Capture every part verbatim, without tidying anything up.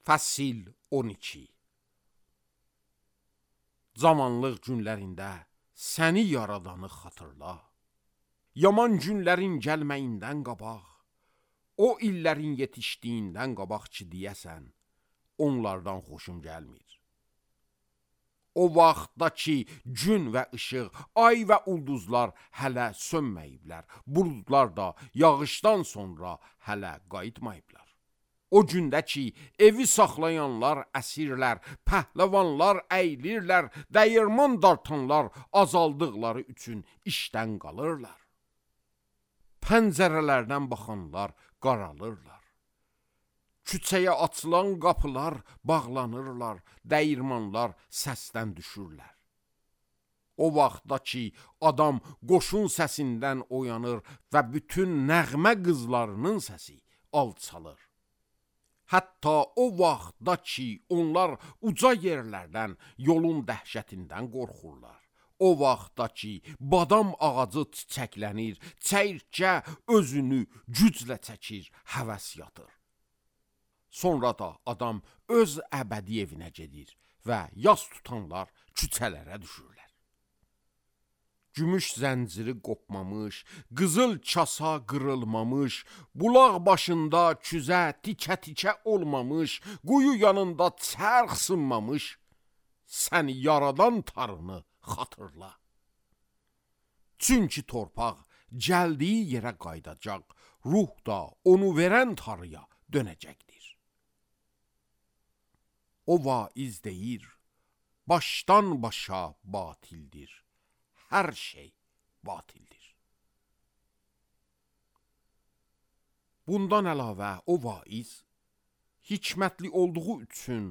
Fəsil on iki. Zamanlıq günlərində səni yaradanı xatırla. Yaman günlərin gəlməyindən qabaq, o illərin yetişdiyindən qabaq ki deyəsən, onlardan xoşum gəlmir. O vaxtda ki gün və işıq, ay və ulduzlar hələ sönməyiblər, buludlar da yağışdan sonra hələ qayıtmayıblar. O gündə ki, evi saxlayanlar əsirlər, pəhləvanlar əylirlər, dəyirman dartanlar azaldıqları üçün işdən qalırlar. Pəncərələrdən baxanlar qaralırlar. Küçəyə açılan qapılar bağlanırlar, dəyirmanlar səsdən düşürlər. O vaxtda ki, adam qoşun səsindən oyanır və bütün nəğmə qızlarının səsi alçalır. Hətta o vaxtda ki, onlar uca yerlərdən, yolun dəhşətindən qorxurlar. O vaxtda ki, badam ağacı çiçəklənir, çəyirtkə özünü güclə çəkir, həvəs yatır. Sonra da adam öz əbədi evinə gedir və yas tutanlar küçələrə düşürlər. Gümüş zənciri qopmamış, qızıl kasa qırılmamış, bulaq başında küzə tikə-tikə olmamış, quyu yanında çərx sınmamış, səni yaradan tarını xatırla. Çünki torpaq gəldiyi yerə qaydacaq, ruh da onu verən tarıya dönəcəkdir. O vaiz deyir, başdan başa batildir. Hər şey batildir. Bundan əlavə o vaiz, hikmətli olduğu üçün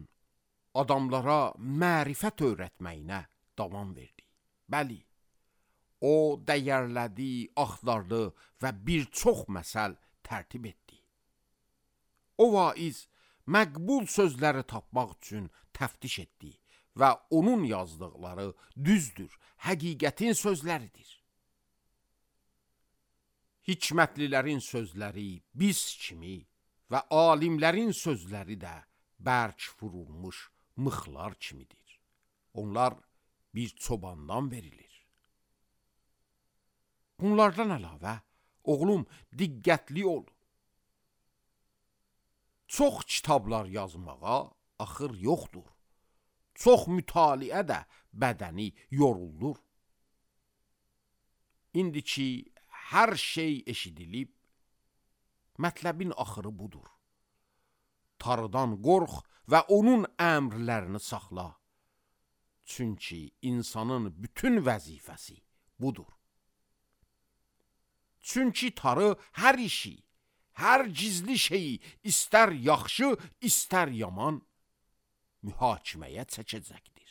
adamlara mərifət öyrətməyinə davam verdi. Bəli, o dəyərlədi, axtardı və bir çox məsəl tərtib etdi. O vaiz məqbul sözləri tapmaq üçün təftiş etdi və onun yazdıqları düzdür, həqiqətin sözləridir. Hikmətlilərin sözləri biz kimi və alimlərin sözləri də bərk vurulmuş mıxlar kimidir. Onlar bir çobandan verilir. Bunlardan əlavə, oğlum, diqqətli ol. Çox kitablar yazmağa axır yoxdur. Çox mütaliə də bədəni yoruldur. İndi ki, hər şey eşidilib, mətləbin axırı budur. Tarıdan qorx və onun əmrlərini saxla. Çünki insanın bütün vəzifəsi budur. Çünki tarı hər işi, hər gizli şeyi, istər yaxşı, istər yaman, mühakiməyə çəkəcəkdir.